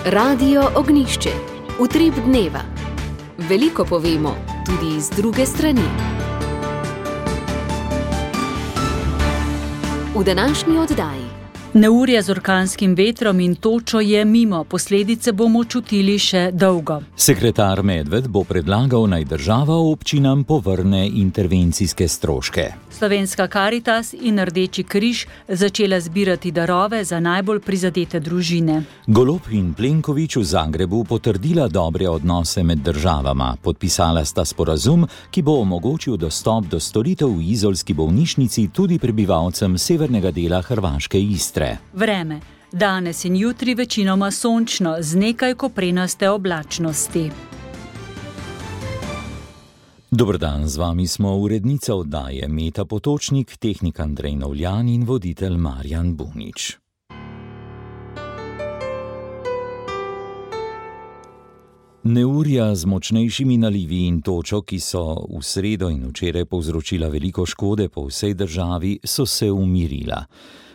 Radio Ognjišče. Utrip dneva. Veliko povemo, tudi iz druge strani. V današnji oddaji. Neurje z orkanskim vetrom in točo je mimo, posledice bomo čutili še dolgo. Sekretar Medved bo predlagal, naj država občinam povrne intervencijske stroške. Slovenska Karitas in Rdeči križ začela zbirati darove za najbolj prizadete družine. Golob in Plenković v Zagrebu potrdila dobre odnose med državama. Podpisala sta sporazum, ki bo omogočil dostop do storitev v izolski bolnišnici tudi prebivalcem severnega dela hrvaške Istre. Vreme. Danes in jutri večinoma sončno, z nekaj koprenaste oblačnosti. Dober dan, z vami smo urednica oddaje Meta Potočnik, tehnik Andrej Novljan in voditelj Marjan Bunič. Neurja z močnejšimi nalivi in točo, ki so v sredo in včeraj povzročila veliko škode po vsej državi, so se umirila.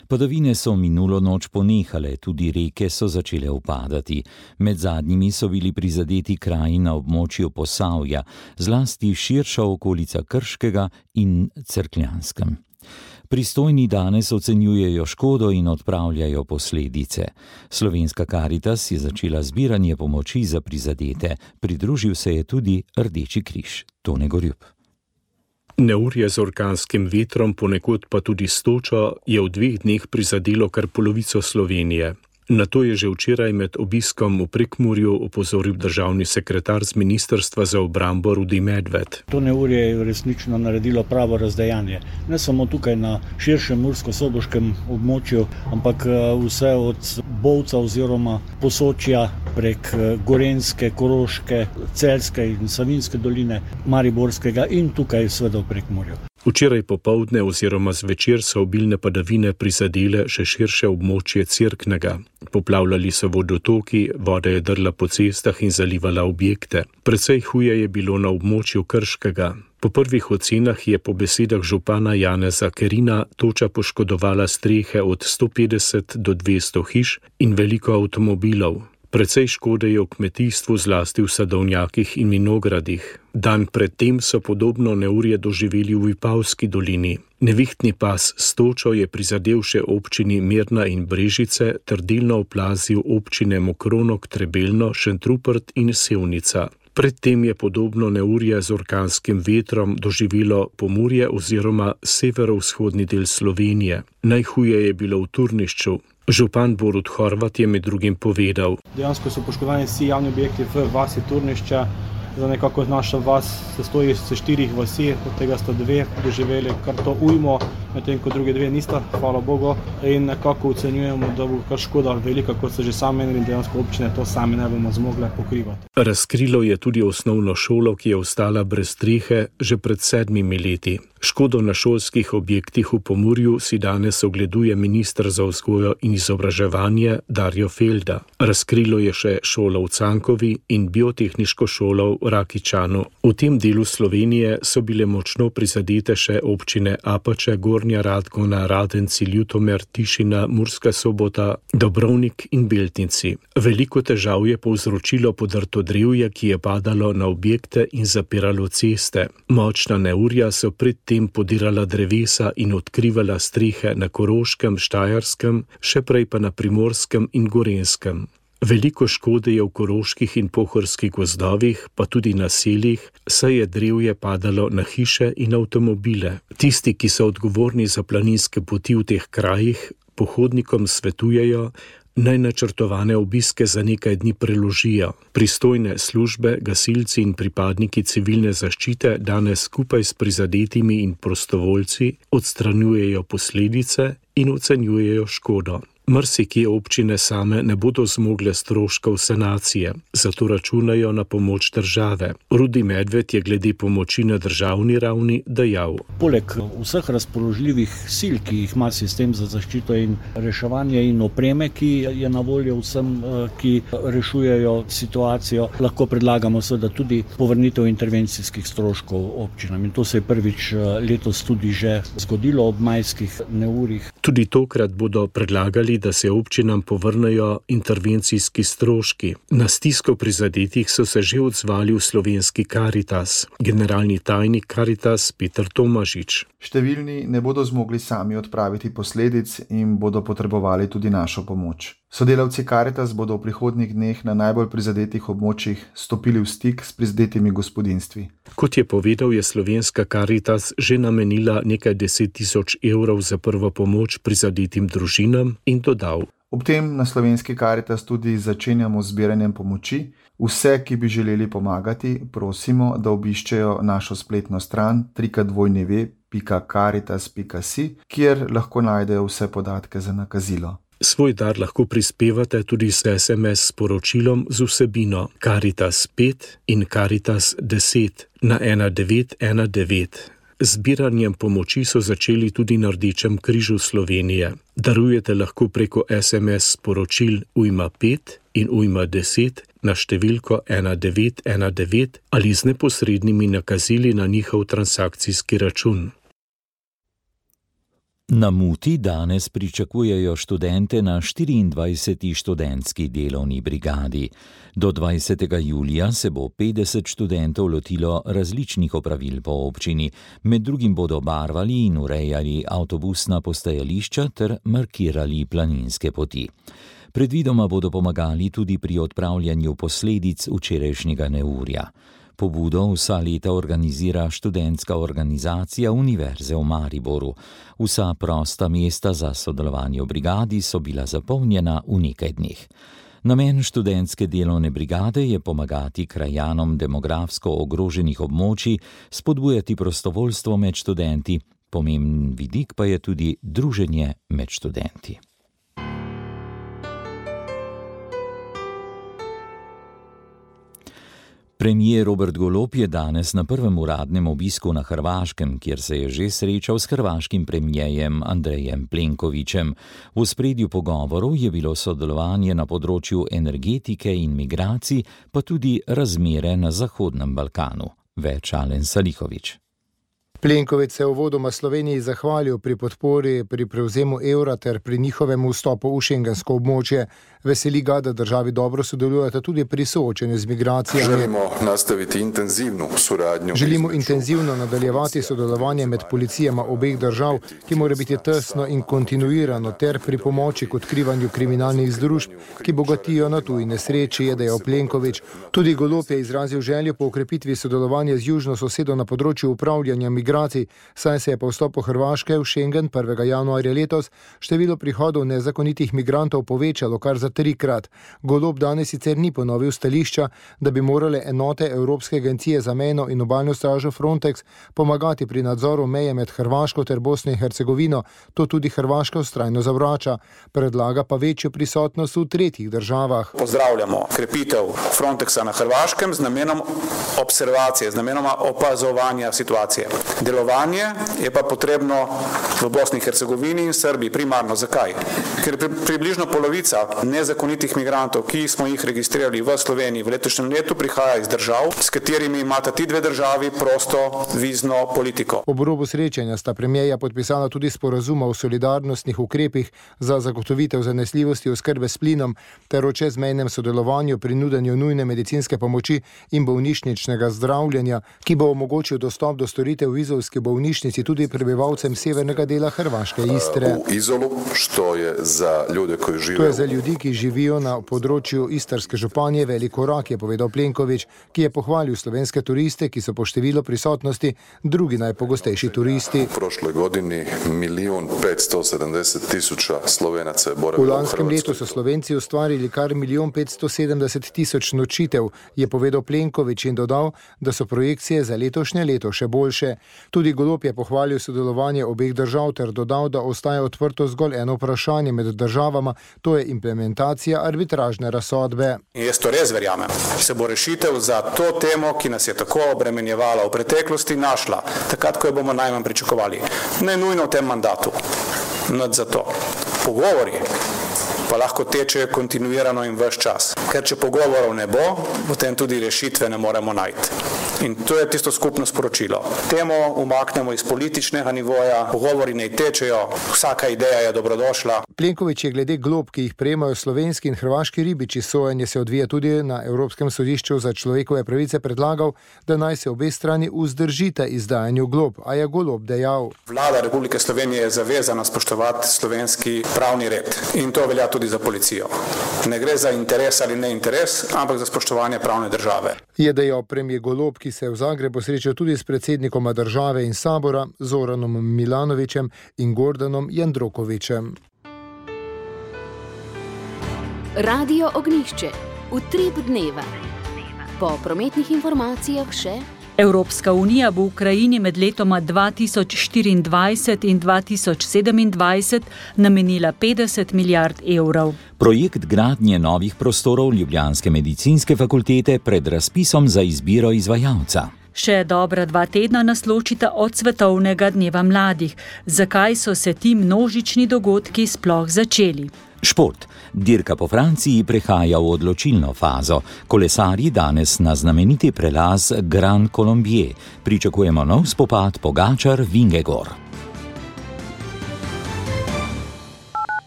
Padavine so minulo noč ponehale, tudi reke so začele upadati. Med zadnjimi so bili prizadeti kraji na območju Posavja, zlasti širša okolica Krškega in Cerkljanskem. Pristojni danes ocenjujejo škodo in odpravljajo posledice. Slovenska Karitas je začela zbiranje pomoči za prizadete. Pridružil se je tudi Rdeči križ. Tone Gorjup. Neurje z orkanskim vetrom, ponekod pa tudi s točo, je v 2 dneh prizadelo kar polovico Slovenije. Na to je že včeraj med obiskom v Prekmurju opozoril državni sekretar z Ministrstva za obrambo Rudi Medved. To neurje je resnično naredilo pravo razdejanje. Ne samo tukaj na širšem mursko-soboškem območju, ampak vse od Bovca oziroma Posočja prek Gorenjske, Koroške, Celjske in Savinjske doline, Mariborskega in tukaj seveda v Prekmurju. Včeraj popoldne oziroma zvečer so obilne padavine prizadele še širše območje Cerknega. Poplavljali so vodotoki, voda je drla po cestah in zalivala objekte. Precej huje je bilo na območju Krškega. Po prvih ocenah je po besedah župana Janeza Kerina toča poškodovala strehe od 150 do 200 hiš in veliko avtomobilov. Precej škode je v kmetijstvu, zlasti v sadovnjakih in vinogradih. Dan predtem so podobno neurje doživeli v Vipavski dolini. Nevihtni pas s točo je prizadel še občini Mirna in Brežice ter delno oplazil občine Mokronog, Trebelno, Šentrupert in Sevnica. Predtem je podobno neurje z orkanskim vetrom doživelo Pomurje oziroma severovzhodni del Slovenije. Najhuje je bilo v Turnišču. Župan Borut Horvat je med drugim povedal. Dejansko so poškodovani vsi javni objekti v vasi Turnišča. Za nekako naša vas se stoji s 4 vasi, od tega sta 2 doživeli kar to ujmo, medtem ko druge 2 nista, hvala Bogu. In nekako ocenjujemo, da bo kar škoda velika, kot so že sami menili, in dejansko občine to sami ne bomo zmogle pokrivati. Razkrilo je tudi osnovno šolo, ki je ostala brez strehe že pred 7 leti. Škodo na šolskih objektih v Pomurju si danes ogleduje minister za vzgojo in izobraževanje Darjo Felda. Razkrilo je še šolo v Cankovi in biotehniško šolo v Rakičanu. V tem delu Slovenije so bile močno prizadete še občine Apače, Gornja Radgona, Radenci, Ljutomer, Tišina, Murska Sobota, Dobrovnik in Beltinci. Veliko težav je povzročilo podrto drevje, ki je padalo na objekte in zapiralo ceste. Močna neurja so predtem podirala drevesa in odkrivala strehe na Koroškem, Štajerskem, še prej pa na Primorskem in Gorenjskem. Veliko škode je v koroških in pohorskih gozdovih, pa tudi na seljih, saj je drevje padalo na hiše in avtomobile. Tisti, ki so odgovorni za planinske poti v teh krajih, pohodnikom svetujejo, naj načrtovane obiske za nekaj dni preložijo. Pristojne službe, gasilci in pripadniki civilne zaščite danes skupaj s prizadetimi in prostovoljci odstranjujejo posledice in ocenjujejo škodo. Marsikje občine same ne bodo zmogle stroškov sanacije, zato računajo na pomoč države. Rudi Medved je glede pomoči na državni ravni dejal. Poleg vseh razpoložljivih sil, ki jih ima sistem za zaščito in reševanje in opreme, ki je na voljo vsem, ki rešujejo situacijo, lahko predlagamo seveda tudi povrnitev intervencijskih stroškov občinam. In to se je prvič letos tudi že zgodilo ob majskih neurjih. Tudi tokrat bodo predlagali, zahtevali, da se občinam povrnejo intervencijski stroški. Na stisko prizadetih so se že odzvali v slovenski Karitas. Generalni tajnik Karitas Peter Tomažič. Številni ne bodo zmogli sami odpraviti posledic in bodo potrebovali tudi našo pomoč. Sodelavci Karitas bodo v prihodnjih dneh na najbolj prizadetih območjih stopili v stik s prizadetimi gospodinjstvi. Kot je povedal, je slovenska Karitas že namenila nekaj 10.000 evrov za prvo pomoč prizadetim družinam in dodal. Ob tem na slovenski Karitas tudi začenjamo z zbiranjem pomoči. Vse, ki bi želeli pomagati, prosimo, da obiščejo našo spletno stran www.caritas.si, kjer lahko najdejo vse podatke za nakazilo. Svoj dar lahko prispevate tudi s SMS sporočilom z vsebino Caritas 5 in Caritas 10 na 1919. Zbiranjem pomoči so začeli tudi na Rdečem križu Slovenije. Darujete lahko preko SMS sporočil ujma 5 in ujma 10 na številko 1919 ali z neposrednimi nakazili na njihov transakcijski račun. Na Muti danes pričakujejo študente na 24. študentski delovni brigadi. Do 20. julija se bo 50 študentov lotilo različnih opravil po občini. Med drugim bodo barvali in urejali avtobusna postajališča ter markirali planinske poti. Predvidoma bodo pomagali tudi pri odpravljanju posledic včerajšnjega neurja. Pobudo vsa leta organizira študentska organizacija Univerze v Mariboru. Vsa prosta mesta za sodelovanje v brigadi so bila zapolnjena v nekaj dneh. Namen študentske delovne brigade je pomagati krajanom demografsko ogroženih območij, spodbujati prostovoljstvo med študenti. Pomemben vidik pa je tudi druženje med študenti. Premier Robert Golob je danes na prvem uradnem obisku na Hrvaškem, kjer se je že srečal s hrvaškim premierjem Andrejem Plenkovićem. V ospredju pogovorov je bilo sodelovanje na področju energetike in migracij, pa tudi razmere na Zahodnem Balkanu. Več Alen Salihović. Plenković se je uvodoma Sloveniji zahvalil pri podpori pri prevzemu evra ter pri njihovem vstopu v šengensko območje. Veseli ga, da državi dobro sodelujete tudi pri soočenju z migracijami. Želimo intenzivno nadaljevati sodelovanje med policijama obeh držav, ki mora biti tesno in kontinuirano, ter pri pomoči k odkrivanju kriminalnih združb, ki bogatijo na tuji nesreči, je dejal Plenković. Tudi Golob je izrazil željo po okrepitvi sodelovanja z južno sosedo na področju upravljanja migracij, saj se je po vstopu Hrvaške v Schengen 1. januarja letos število prihodov nezakonitih migrantov povečalo kar za 3-krat. Golob danes sicer ni ponovil stališča, da bi morale enote Evropske agencije za mejno in obalno stražo Frontex pomagati pri nadzoru meje med Hrvaško ter Bosno in Hercegovino. To tudi Hrvaška vztrajno zavrača. Predlaga pa večjo prisotnost v tretjih državah. Pozdravljamo krepitev Frontexa na Hrvaškem z namenom observacije, z namenom opazovanja situacije. Delovanje je pa potrebno v Bosni in Hercegovini in Srbiji primarno. Zakaj? Ker približno polovica nezakonitih migrantov, ki smo jih registrirali v Sloveniji v letošnjem letu, prihaja iz držav, s katerimi imata ti dve državi prosto vizno politiko. Ob robu srečanja sta premierja podpisala tudi sporazuma o solidarnostnih ukrepih za zagotovitev zanesljivosti oskrbe s plinom ter o čezmejnem sodelovanju pri nudenju nujne medicinske pomoči in bolnišničnega zdravljenja, ki bo omogočil dostop do storitev v izolski bolnišnici tudi prebivalcem severnega dela Hrvaške Istre. V Izolu, što je za ljude, koji žive... To je za ljudi, ki živijo na področju Istrske županje, velik korak, je povedal Plenković, ki je pohvalil slovenske turiste, ki so po številu prisotnosti drugi najpogostejši turisti. V prošloj godini 1.570.000 Slovenaca je boravilo v Hrvatskoj. V lanskem letu so Slovenci ustvarili kar 1.570.000 nočitev, je povedal Plenković in dodal, da so projekcije za letošnje leto še boljše. Tudi Golob je pohvalil sodelovanje obeh držav ter dodal, da ostaja odprto zgolj eno vprašanje med državama, to je implementacija arbitražne razsodbe. Jaz to res verjamem. Se bo rešitev za to temo, ki nas je tako obremenjevala v preteklosti, našla, takrat, ko jo bomo najmanj pričakovali. Ne nujno v tem mandatu. Nad za to. Pogovori pa lahko tečejo kontinuirano in ves čas. Ker če pogovorov ne bo, potem tudi rešitve ne moremo najti. In to je tisto skupno sporočilo. Temo umaknemo iz političnega nivoja, pogovori ne tečejo, vsaka ideja je dobrodošla. Plenković je glede glob, ki jih prejemajo slovenski in hrvaški ribiči, sojenje se odvija tudi na Evropskem sodišču za človekove pravice, predlagal, da naj se obe strani vzdržita izdajanju glob, a je Golob dejal. Vlada Republike Slovenije je zavezana spoštovati slovenski pravni red in to velja tudi za policijo. Ne gre za interes ali ne interes, ampak za spoštovanje pravne države. Je dejal premijer Golob, ki se je v Zagrebu srečal tudi s predsednikoma države in sabora Zoranom Milanovićem in Gordanom Jandrokovićem. Radio Ognjišče. Utrip dneva. Po prometnih informacijah še. Evropska unija bo Ukrajini med letoma 2024 in 2027 namenila 50 milijard evrov. Projekt gradnje novih prostorov ljubljanske medicinske fakultete pred razpisom za izbiro izvajalca. Še dobra 2 tedna nas ločita od svetovnega dneva mladih. Zakaj so se ti množični dogodki sploh začeli? Šport. Dirka po Franciji prehaja v odločilno fazo. Kolesarji danes na znameniti prelaz Grand Colombier. Pričakujemo nov spopad Pogačar-Vingegor.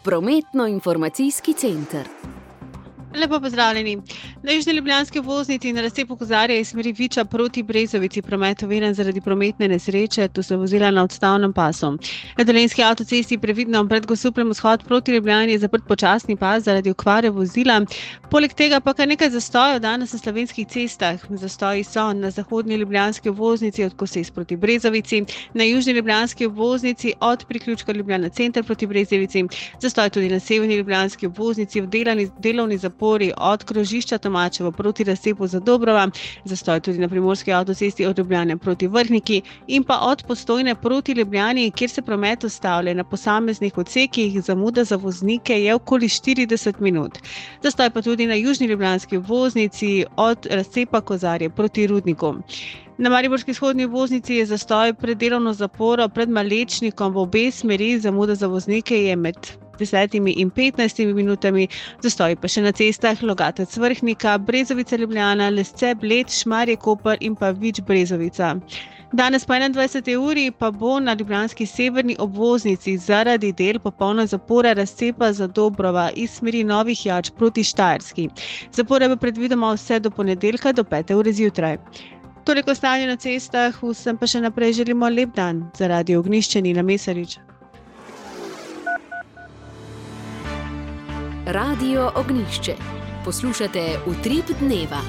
Prometno-informacijski center. Lepo pozdravljeni. Na južni ljubljanski obvoznici na razcepu Kozarja iz smeri Viča proti Brezovici promet overen zaradi prometne nesreče, tu se vozila na odstavnem pasu. Na Dolenjski avtocesti previdno pred Gosupljem vzhod proti Ljubljani je zaprt počasni pas zaradi okvare vozila. Poleg tega pa kar nekaj zastojev danes na slovenskih cestah. Zastoji so na zahodni ljubljanski obvoznici od Koses proti Brezovici, na južni ljubljanski obvoznici od priključka Ljubljana center proti Brezovici, zastoj tudi na severni ljubljanski obvoznici v delovni zapori od krožišča Tomačevo proti razcepu Zadobrova, zastoj tudi na primorski avtocesti od Ljubljane proti Vrhniki in pa od Postojne proti Ljubljani, kjer se promet ustavlja na posameznih odsekih, zamuda za voznike je okoli 40 minut. Zastoj pa tudi na južni ljubljanski obvoznici od razcepa Kozarje proti Rudniku. Na mariborski vzhodni obvoznici je zastoj pred delovno zaporo pred Malečnikom v obe smeri, zamuda za voznike je med 10 in 15 minutami, zastoji pa še na cestah Logatec Vrhnika, Brezovica Ljubljana, Lesce Bled, Šmarje Koper in pa Vič Brezovica. Danes po 21. uri pa bo na ljubljanski severni obvoznici zaradi del popolna zapora razcepa Zadobrova iz smeri Novih Jač proti Štajerski. Zapora bo predvidoma vse do ponedeljka do 5. ure zjutraj. Toliko stanje na cestah, vsem pa še naprej želimo lep dan. Za Radio Ognjišče Nina Mesarič. Radio Ognjišče. Poslušate Utrip dneva.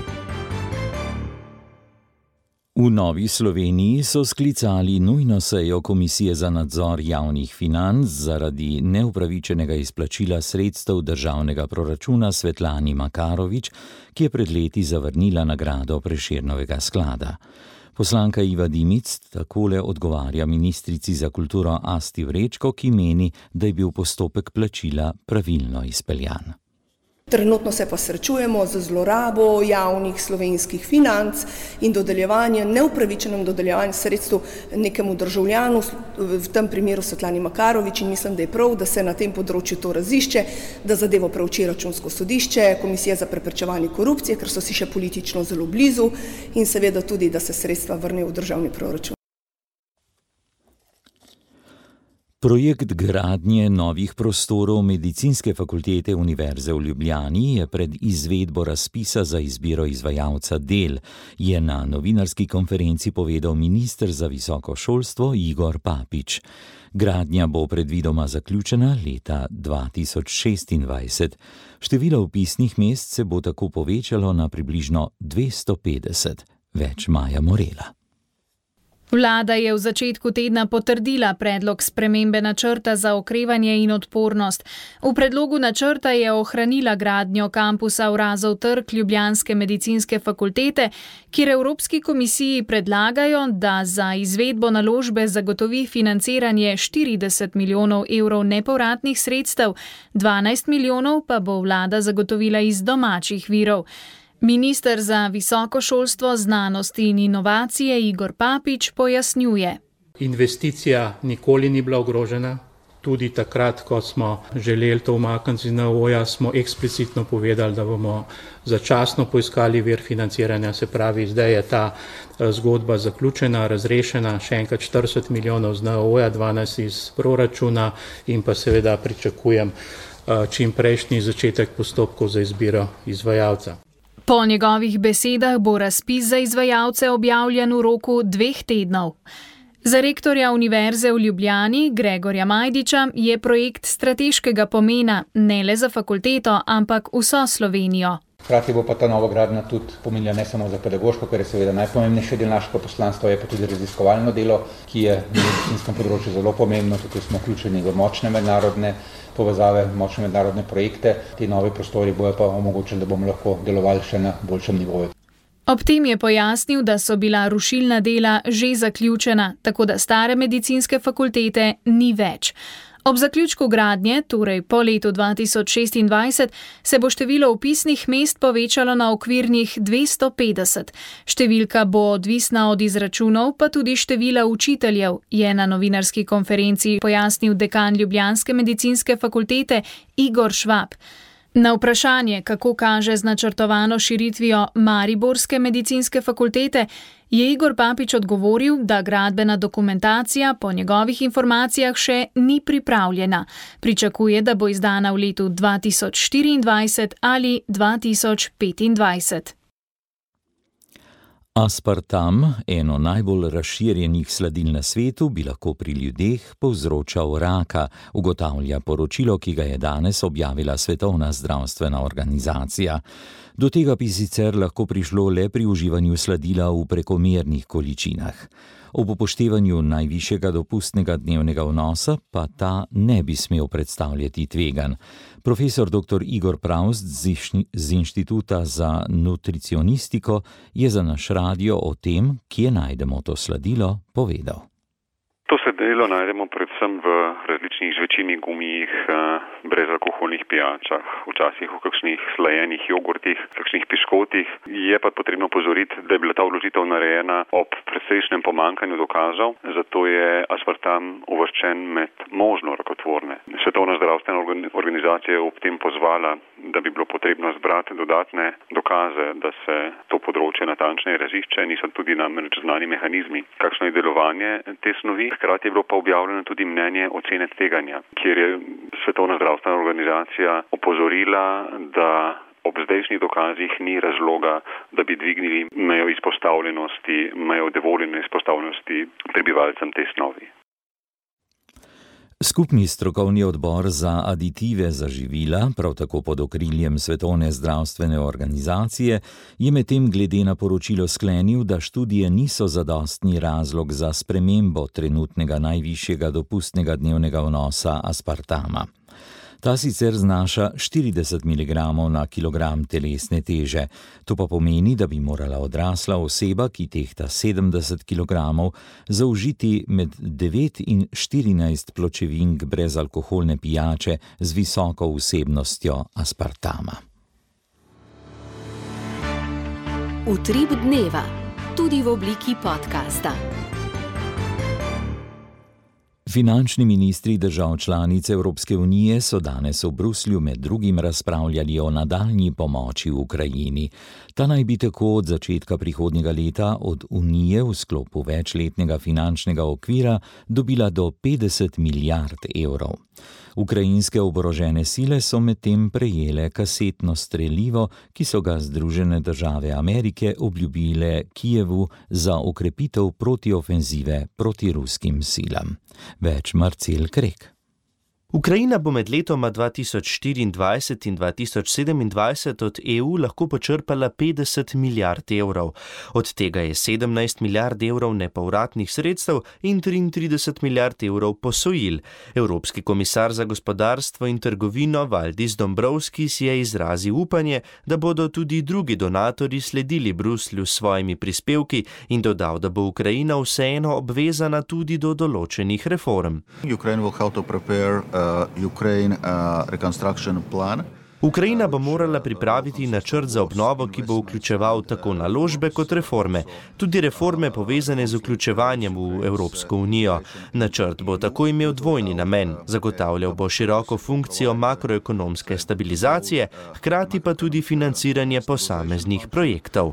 V Novi Sloveniji so sklicali nujno sejo Komisije za nadzor javnih financ zaradi neupravičenega izplačila sredstev državnega proračuna Svetlani Makarovič, ki je pred leti zavrnila nagrado Prešernovega sklada. Poslanka Iva Dimic takole odgovarja ministrici za kulturo Asti Vrečko, ki meni, da je bil postopek plačila pravilno izpeljan. Trenutno se pa srečujemo z zlorabo javnih slovenskih financ in neupravičenem dodeljevanjem sredstev nekemu državljanu, v tem primeru Svetlani Makarovič, in mislim, da je prav, da se na tem področju to razišče, da zadevo preuči Računsko sodišče, Komisija za preprečevanje korupcije, ker so si še politično zelo blizu, in seveda tudi, da se sredstva vrnejo v državni proračun. Projekt gradnje novih prostorov Medicinske fakultete Univerze v Ljubljani je pred izvedbo razpisa za izbiro izvajalca del, je na novinarski konferenci povedal minister za visoko šolstvo Igor Papič. Gradnja bo predvidoma zaključena leta 2026. Število vpisnih mest se bo tako povečalo na približno 250. Več Maja Morela. Vlada je v začetku tedna potrdila predlog spremembe načrta za okrevanje in odpornost. V predlogu načrta je ohranila gradnjo kampusa Urazov trg Ljubljanske medicinske fakultete, kjer Evropski komisiji predlagajo, da za izvedbo naložbe zagotovi financiranje 40 milijonov evrov nepovratnih sredstev, 12 milijonov pa bo vlada zagotovila iz domačih virov. Minister za visoko šolstvo, znanost in inovacije Igor Papič pojasnjuje. Investicija nikoli ni bila ogrožena, Tudi takrat, ko smo želeli to umakniti iz NOO-ja, smo eksplicitno povedali, da bomo začasno poiskali vir financiranja, se pravi, zdaj je ta zgodba zaključena, razrešena, še enkrat 40 milijonov z NOO-ja, 12 iz proračuna in pa seveda pričakujem čim prejšnji začetek postopkov za izbiro izvajalca. Po njegovih besedah bo razpis za izvajalce objavljen v roku 2 tednov. Za rektorja Univerze v Ljubljani, Gregorja Majdiča, je projekt strateškega pomena ne le za fakulteto, ampak vso Slovenijo. Hkrati bo pa ta novogradnja tudi pomenila ne samo za pedagoško, kar je seveda najpomembnejši del našega poslanstva, je pa tudi raziskovalno delo, ki je na medicinskem področju zelo pomembno, tukaj smo vključeni v močne mednarodne povezave, močne mednarodne projekte. Ti novi prostori bojo pa omogočili, da bomo lahko delovali še na boljšem nivoju. Ob tem je pojasnil, da so bila rušilna dela že zaključena, tako da stare medicinske fakultete ni več. Ob zaključku gradnje, torej po letu 2026, se bo število vpisnih mest povečalo na okvirnih 250. Številka bo odvisna od izračunov, pa tudi števila učiteljev, je na novinarski konferenci pojasnil dekan ljubljanske medicinske fakultete Igor Švab. Na vprašanje, kako kaže z načrtovano širitvijo mariborske medicinske fakultete, je Igor Papič odgovoril, da gradbena dokumentacija po njegovih informacijah še ni pripravljena. Pričakuje, da bo izdana v letu 2024 ali 2025. Aspartam, eno najbolj razširjenih sladil na svetu, bi lahko pri ljudeh povzročal raka, ugotavlja poročilo, ki ga je danes objavila Svetovna zdravstvena organizacija. Do tega bi sicer lahko prišlo le pri uživanju sladila v prekomernih količinah. Ob upoštevanju najvišjega dopustnega dnevnega vnosa pa ta ne bi smel predstavljati tveganj. Profesor dr. Igor Pravst z Inštituta za nutricionistiko je za naš radio o tem, kje najdemo to sladilo, povedal. To sladilo najdemo predvsem v različnih žvečilnih gumijih, brezalkoholnih pijačah, včasih v kakšnih slajenih jogurtih, kakšnih piškotih. Je pa potrebno opozoriti, da je bila ta vložitev narejena ob precejšnjem pomanjkanju dokazov, zato je aspartam uvrščen med možno rakotvorne. Svetovna zdravstvena organizacija je ob tem pozvala, da bi bilo potrebno zbrati dodatne dokaze, da se to področje natančneje razišče, niso tudi namreč znani mehanizmi, kakšno je delovanje te snovi. Hkrati je bilo pa objavljeno tudi mnenje ocene tveganja, kjer je Svetovna zdravstvena organizacija opozorila, da ob zdajšnjih dokazih ni razloga, da bi dvignili mejo izpostavljenosti, mejo dovoljene izpostavljenosti prebivalcem te snovi. Skupni strokovni odbor za aditive za živila, prav tako pod okriljem Svetovne zdravstvene organizacije, je medtem glede na poročilo sklenil, da študije niso zadostni razlog za spremembo trenutnega najvišjega dopustnega dnevnega vnosa aspartama. Ta sicer znaša 40 mg na kilogram telesne teže. To pa pomeni, da bi morala odrasla oseba, ki tehta 70 kg, zaužiti med 9 in 14 pločevink brezalkoholne pijače z visoko vsebnostjo aspartama. Utrip dneva, tudi v obliki podcasta. Finančni ministri držav članic Evropske unije so danes v Bruslju med drugim razpravljali o nadaljnji pomoči v Ukrajini. Ta naj bi tako od začetka prihodnjega leta od Unije v sklopu večletnega finančnega okvira dobila do 50 milijard evrov. Ukrajinske oborožene sile so medtem prejele kasetno strelivo, ki so ga Združene države Amerike obljubile Kijevu za okrepitev protiofenzive proti ruskim silam. Več Marcel Krek. Ukrajina bo med letoma 2024 in 2027 od EU lahko počrpala 50 milijard evrov. Od tega je 17 milijard evrov nepovratnih sredstev in 33 milijard evrov posojil. Evropski komisar za gospodarstvo in trgovino Valdis Dombrovskis je izrazil upanje, da bodo tudi drugi donatorji sledili Bruslju s svojimi prispevki in dodal, da bo Ukrajina vseeno obvezana tudi do določenih reform. Ukraine will help to prepare Ukraine reconstruction plan. Ukrajina bo morala pripraviti načrt za obnovo, ki bo vključeval tako naložbe kot reforme, tudi reforme povezane z vključevanjem v Evropsko unijo. Načrt bo tako imel dvojni namen, zagotavljal bo široko funkcijo makroekonomske stabilizacije, hkrati pa tudi financiranje posameznih projektov.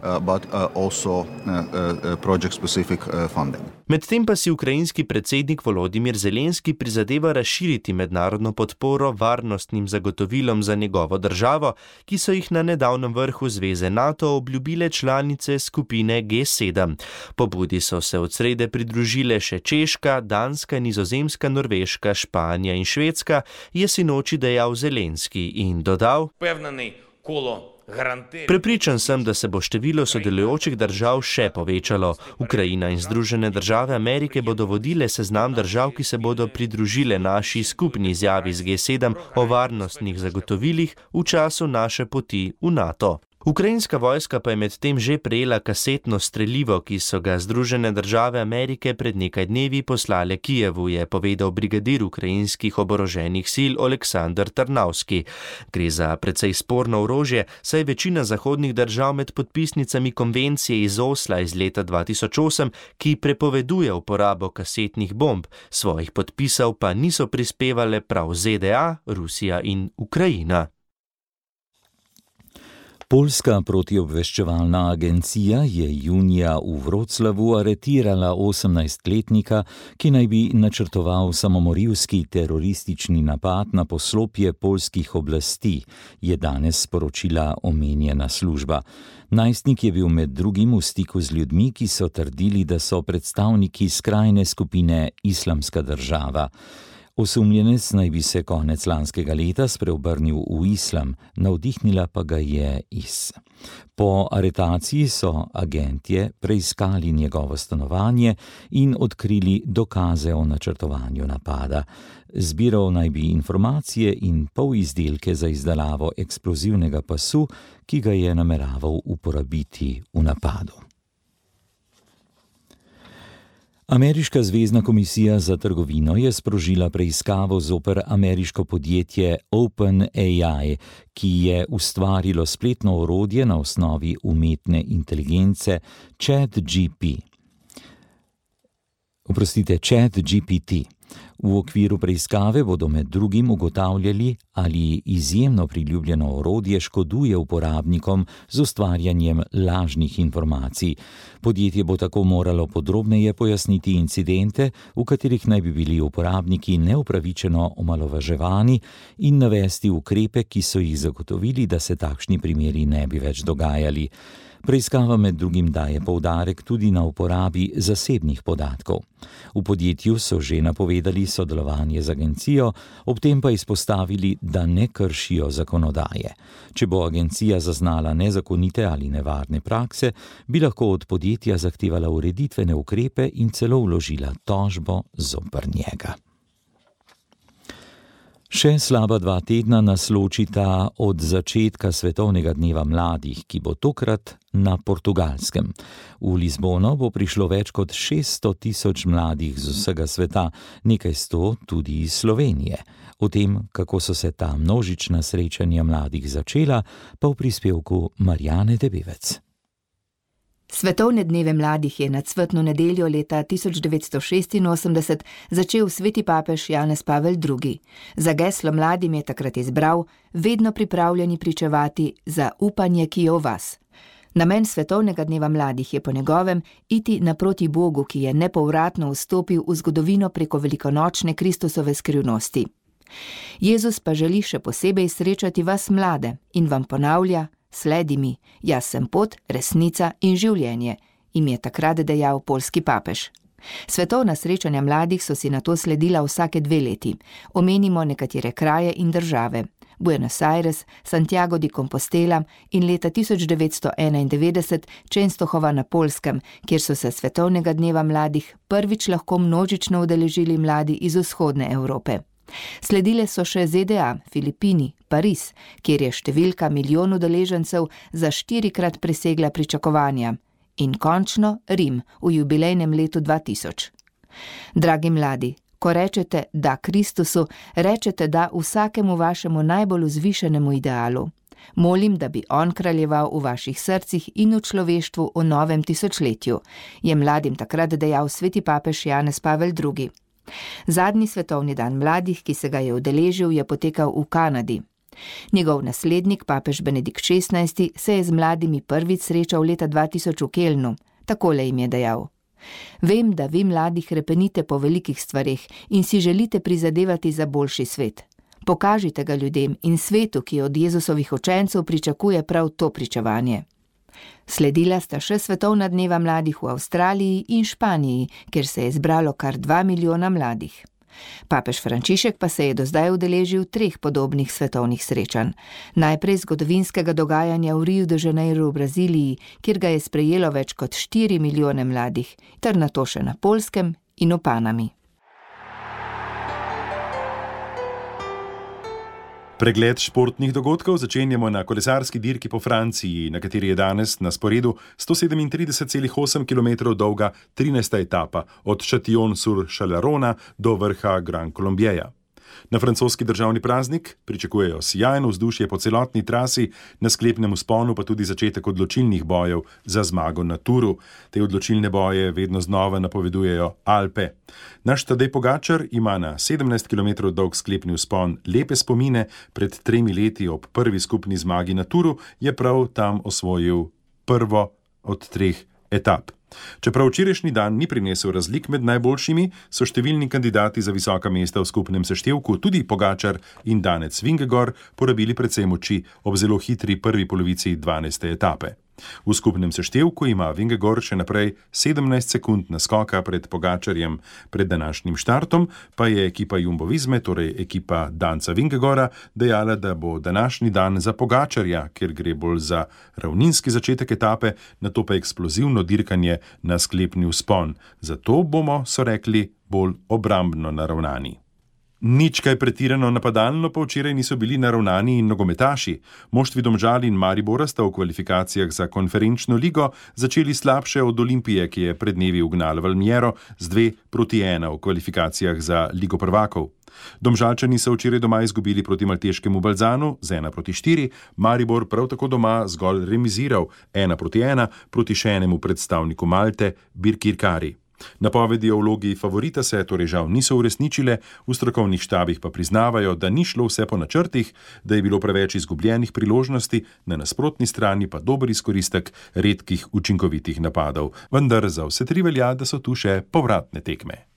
Medtem pa si ukrajinski predsednik Volodimir Zelenski prizadeva razširiti mednarodno podporo varnostnim zagotovilom za njegovo državo, ki so jih na nedavnem vrhu Zveze NATO obljubile članice skupine G7. Pobudi so se od srede pridružile še Češka, Danska, Nizozemska, Norveška, Španija in Švedska, je sinoči dejal Zelenski in dodal: Prepričan sem, da se bo število sodelujočih držav še povečalo. Ukrajina in Združene države Amerike bodo vodile seznam držav, ki se bodo pridružile naši skupni izjavi z G7 o varnostnih zagotovilih v času naše poti v NATO. Ukrajinska vojska pa je medtem že prejela kasetno strelivo, ki so ga Združene države Amerike pred nekaj dnevi poslale Kijevu, je povedal brigadir ukrajinskih oboroženih sil Oleksandr Tarnavski. Gre za precej sporno orožje, saj večina zahodnih držav med podpisnicami konvencije iz Osla iz leta 2008, ki prepoveduje uporabo kasetnih bomb, svojih podpisov pa niso prispevale prav ZDA, Rusija in Ukrajina. Poljska protiobveščevalna agencija je junija v Vroclavu aretirala 18-letnika, ki naj bi načrtoval samomorilski teroristični napad na poslopje poljskih oblasti, je danes sporočila omenjena služba. Najstnik je bil med drugim v stiku z ljudmi, ki so trdili, da so predstavniki skrajne skupine Islamska država. Osumljenec naj bi se konec lanskega leta spreobrnil v islam, navdihnila pa ga je IS. Po aretaciji so agentje preiskali njegovo stanovanje in odkrili dokaze o načrtovanju napada. Zbiral naj bi informacije in polizdelke za izdelavo eksplozivnega pasu, ki ga je nameraval uporabiti v napadu. Ameriška zvezna komisija za trgovino je sprožila preiskavo zoper ameriško podjetje OpenAI, ki je ustvarilo spletno orodje na osnovi umetne inteligence ChatGPT. V okviru preiskave bodo med drugim ugotavljali, ali izjemno priljubljeno orodje škoduje uporabnikom z ustvarjanjem lažnih informacij. Podjetje bo tako moralo podrobneje pojasniti incidente, v katerih naj bi bili uporabniki neupravičeno omalovaževani, in navesti ukrepe, ki so jih zagotovili, da se takšni primeri ne bi več dogajali. Preiskava med drugim daje poudarek tudi na uporabi zasebnih podatkov. V podjetju so že napovedali sodelovanje z agencijo, ob tem pa izpostavili, da ne kršijo zakonodaje. Če bo agencija zaznala nezakonite ali nevarne prakse, bi lahko od podjetja zahtevala ureditvene ukrepe in celo vložila tožbo zoper njega. Še slaba 2 tedna nas ločita od začetka Svetovnega dneva mladih, ki bo tokrat na Portugalskem. V Lizbono bo prišlo več kot 600.000 mladih z vsega sveta, nekaj 100 tudi iz Slovenije. O tem, kako so se ta množična srečanja mladih začela, pa v prispevku Marjane Debevec. Svetovne dneve mladih je na cvetno nedeljo leta 1986 začel sveti papež Janez Pavel II. Za geslo mladim je takrat izbral: vedno pripravljeni pričevati za upanje, ki je v vas. Namen Svetovnega dneva mladih je po njegovem iti naproti Bogu, ki je nepovratno vstopil v zgodovino preko velikonočne Kristusove skrivnosti. Jezus pa želi še posebej srečati vas mlade in vam ponavlja: sledi mi, jaz sem pot, resnica in življenje, jim je takrat dejal poljski papež. Svetovna srečanja mladih so si nato sledila vsake 2 leti. Omenimo nekatere kraje in države: Buenos Aires, Santiago de Compostela in leta 1991 Częstochowa na Poljskem, kjer so se Svetovnega dneva mladih prvič lahko množično udeležili mladi iz vzhodne Evrope. Sledile so še ZDA, Filipini, Pariz, kjer je številka milijon udeležencev za 4-krat presegla pričakovanja, in končno Rim v jubilejnem letu 2000. Dragi mladi, Ko rečete da Kristusu, rečete da vsakemu vašemu najbolj vzvišenemu idealu. Molim, da bi on kraljeval v vaših srcih in v človeštvu v novem tisočletju, je mladim takrat dejal sveti papež Janez Pavel II. Zadnji svetovni dan mladih, ki se ga je udeležil, je potekal v Kanadi. Njegov naslednik, papež Benedikt XVI, se je z mladimi prvič srečal leta 2000 v Kelnu. Takole jim je dejal: Vem, da vi mladi hrepenite po velikih stvareh in si želite prizadevati za boljši svet. Pokažite ga ljudem in svetu, ki od Jezusovih učencev pričakuje prav to pričevanje. Sledila sta še svetovna dneva mladih v Avstraliji in Španiji, kjer se je zbralo kar 2 milijona mladih. Papež Frančišek pa se je do zdaj udeležil 3 podobnih svetovnih srečanj. Najprej zgodovinskega dogajanja v Riu de Janeiro v Braziliji, kjer ga je sprejelo več kot 4 milijone mladih, ter nato še na Poljskem in v Panami. Pregled športnih dogodkov začenjamo na kolesarski dirki po Franciji, na kateri je danes na sporedu 137,8 km dolga 13. etapa od Châtillon-sur-Chalaronne do vrha Grand Colombieja. Na francoski državni praznik pričakujejo sijajno vzdušje po celotni trasi, na sklepnem vzponu pa tudi začetek odločilnih bojev za zmago na Touru. Te odločilne boje vedno znova napovedujejo Alpe. Naš Tadej Pogačar ima na 17 km dolg sklepni vzpon lepe spomine. Pred 3 leti ob prvi skupni zmagi na Touru je prav tam osvojil prvo od 3 etap. Čeprav včerajšnji dan ni prinesel razlik med najboljšimi, so številni kandidati za visoka mesta v skupnem seštevku, tudi Pogačar in danec Vingegaard, porabili predvsem moči ob zelo hitri prvi polovici 12. etape. V skupnem seštevku ima Vingegaard še naprej 17 sekund naskoka pred Pogačarjem. Pred današnjim štartom pa je ekipa Jumbo Visme, torej ekipa danca Vingegaarda, dejala, da bo današnji dan za Pogačarja, ker gre bolj za ravninski začetek etape, nato pa eksplozivno dirkanje na sklepni vzpon. Zato bomo, so rekli, bolj obrambno naravnani. Nič kaj pretirano napadalno pa včeraj niso bili naravnani in nogometaši. Moštvi Domžal in Maribora sta v kvalifikacijah za konferenčno ligo začeli slabše od Olimpije, ki je pred dnevi ugnala Valmiero z 2-1 v kvalifikacijah za Ligo prvakov. Domžalčani so včeraj doma izgubili proti malteškemu Balzanu z 1-4, Maribor prav tako doma zgolj remiziral 1-1 proti še enemu predstavniku Malte, Birkirkari. Napovedi o vlogi favorita se torej žal niso uresničile, v strokovnih štabih pa priznavajo, da ni šlo vse po načrtih, da je bilo preveč izgubljenih priložnosti, na nasprotni strani pa dober izkoristek redkih učinkovitih napadov. Vendar za vse 3 velja, da so tu še povratne tekme.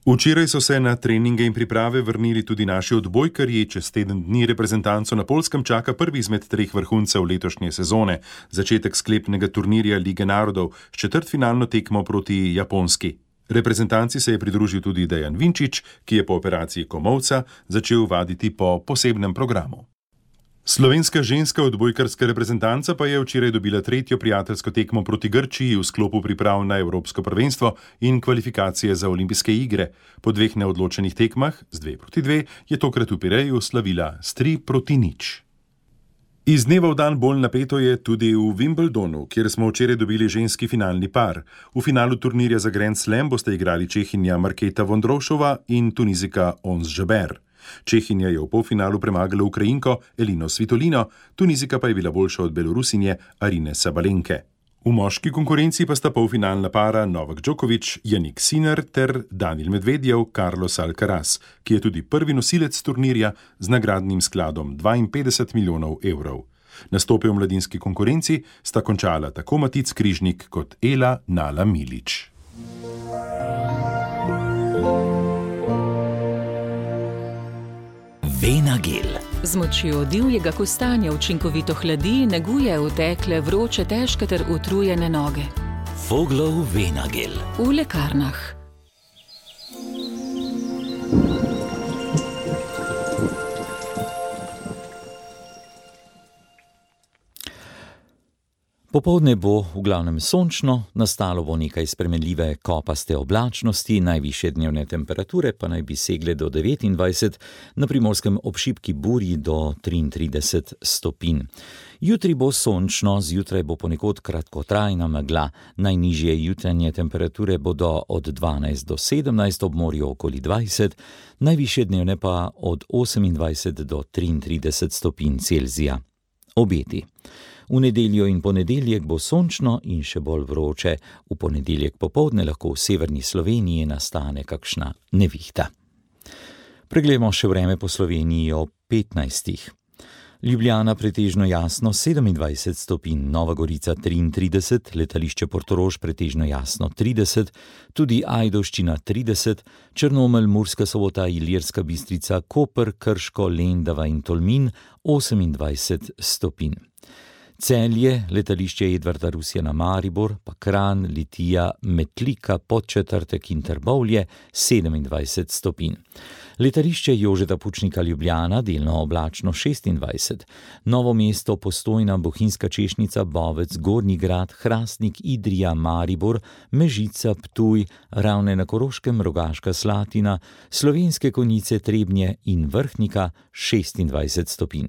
Včeraj so se na treninge in priprave vrnili tudi naši odbojkarji. Čez teden dni reprezentanco na Poljskem čaka prvi izmed 3 vrhuncev letošnje sezone, začetek sklepnega turnirja Lige narodov s četrtfinalno tekmo proti Japonski. Reprezentanci se je pridružil tudi Dejan Vinčić, ki je po operaciji komolca začel vaditi po posebnem programu. Slovenska ženska odbojkarska reprezentanca pa je včeraj dobila 3. prijateljsko tekmo proti Grčiji v sklopu priprav na Evropsko prvenstvo in kvalifikacije za olimpijske igre. Po 2 neodločenih tekmah z 2-2 je tokrat v Pireju slavila s 3-0. Iz dneva v dan bolj napeto je tudi v Wimbledonu, kjer smo včeraj dobili ženski finalni par. V finalu turnirja za Grand Slam boste igrali Čehinja Marketa Vondrousova in Tunizika Ons Jabeur. Čehinja je v polfinalu premagala Ukrajinko Elino Svitolino, Tunizika pa je bila boljša od Belorusinje Arine Sabalenke. V moški konkurenci pa sta polfinalna para Novak Djokovic, Jannik Sinner ter Daniil Medvedjev, Carlos Alcaraz, ki je tudi prvi nosilec turnirja z nagradnim skladom 52 milijonov evrov. Nastope v mladinski konkurenci sta končala tako Matic Križnik kot Ela Nala Milić. Venagel. Z močjo divjega kostanja učinkovito hladi, neguje utekle, vroče, težke ter utrujene noge. Voglov Venagel. V lekarnah. Popoldne bo v glavnem sončno, nastalo bo nekaj spremenljive kopaste oblačnosti, najvišje dnevne temperature pa naj bi segle do 29, na Primorskem ob šibki burji do 33 stopinj. Jutri bo sončno, zjutraj bo ponekod kratkotrajna megla, najnižje jutranje temperature bodo od 12 do 17, ob morju okoli 20, najvišje dnevne pa od 28 do 33 stopinj Celzija. Obeti. V nedeljo in ponedeljek bo sončno in še bolj vroče. V ponedeljek popoldne lahko v severni Sloveniji nastane kakšna nevihta. Preglejmo še vreme po Sloveniji ob 15. Ljubljana pretežno jasno 27 stopinj, Nova Gorica 33, letališče Portorož pretežno jasno 30, tudi Ajdovščina 30, Črnomelj, Murska Sobota, Ilirska Bistrica, Koper, Krško, Lendava in Tolmin 28 stopinj. Celje, letališče Edvarda Rusjana Maribor, pa Kranj, Litija, Metlika, Podčetrtek in Trbovlje 27 stopinj. Letališče Jožeta Pučnika Ljubljana, delno oblačno 26, Novo mesto, Postojna, Bohinjska Češnica, Bovec, Gornji Grad, Hrastnik, Idrija, Maribor, Mežica, Ptuj, Ravne na Koroškem, Rogaška Slatina, Slovenske Konjice, Trebnje in Vrhnika 26 stopinj.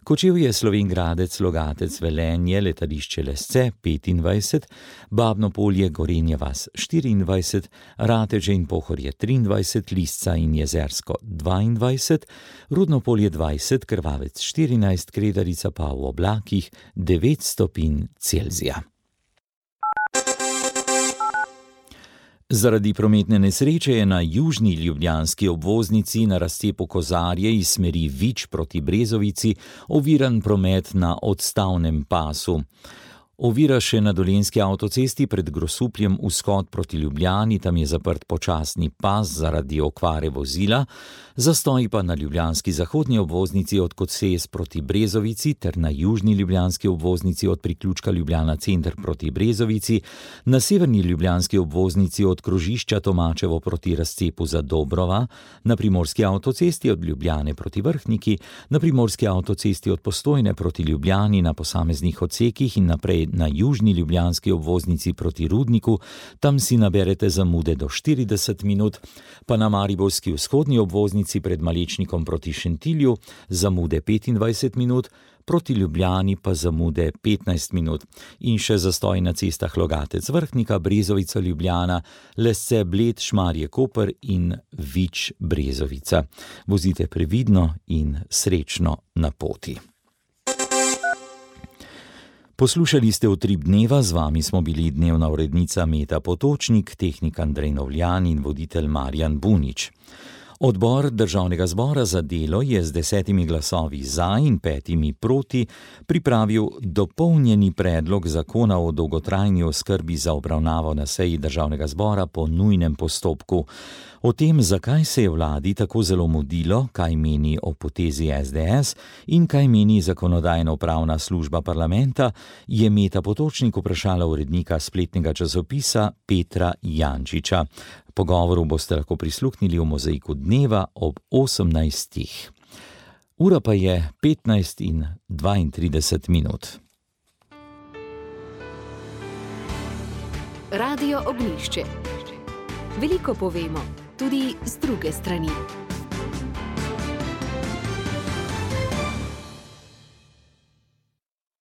Kočevje, Slovenj Gradec, Logatec, Velenje, letališče Lesce 25, Babno Polje, Gorenja vas 24, Rateže in Pohorje 23, Lisca in Jezersko 22, Rudno Polje 20, Krvavec 14, Kredarica pa v oblakih 9 stopinj Celzija. Zaradi prometne nesreče je na južni ljubljanski obvoznici na razcepu Kozarje iz smeri Vič proti Brezovici oviran promet na odstavnem pasu. Ovira še na Dolenjski avtocesti pred Grosupljem vzhod proti Ljubljani, tam je zaprt počasni pas zaradi okvare vozila, zastoji pa na ljubljanski zahodni obvoznici od Koces proti Brezovici ter na južni ljubljanski obvoznici od priključka Ljubljana center proti Brezovici, na severni ljubljanski obvoznici od krožišča Tomačevo proti razcepu za Dobrova, na primorski avtocesti od Ljubljane proti Vrhniki, na primorski avtocesti od Postojne proti Ljubljani na posameznih odsekih in naprej na južni ljubljanski obvoznici proti Rudniku, tam si naberete zamude do 40 minut, pa na mariborski vzhodni obvoznici pred Malečnikom proti Šentilju zamude 25 minut, proti Ljubljani pa zamude 15 minut. In še zastoj na cestah Logatec Vrhnika, Brezovica Ljubljana, Lesce Bled, Šmarje Koper in Vič Brezovica. Vozite previdno in srečno na poti. Poslušali ste Utrip dneva, z vami smo bili dnevna urednica Meta Potočnik, tehnik Andrej Novljan in voditelj Marjan Bunič. Odbor Državnega zbora za delo je z 10 glasovi za in 5 proti pripravil dopolnjeni predlog zakona o dolgotrajni oskrbi za obravnavo na seji Državnega zbora po nujnem postopku. O tem, zakaj se je vladi tako zelo mudilo, kaj meni o potezi SDS in kaj meni Zakonodajno-pravna služba parlamenta, je Meta Potočnik vprašala urednika spletnega časopisa Petra Jančiča. Pogovoru boste lahko prisluhnili v Mozaiku dneva ob 18. Ura pa je 15:32 minut. Radio Ognjišče. Veliko povemo, tudi z druge strani.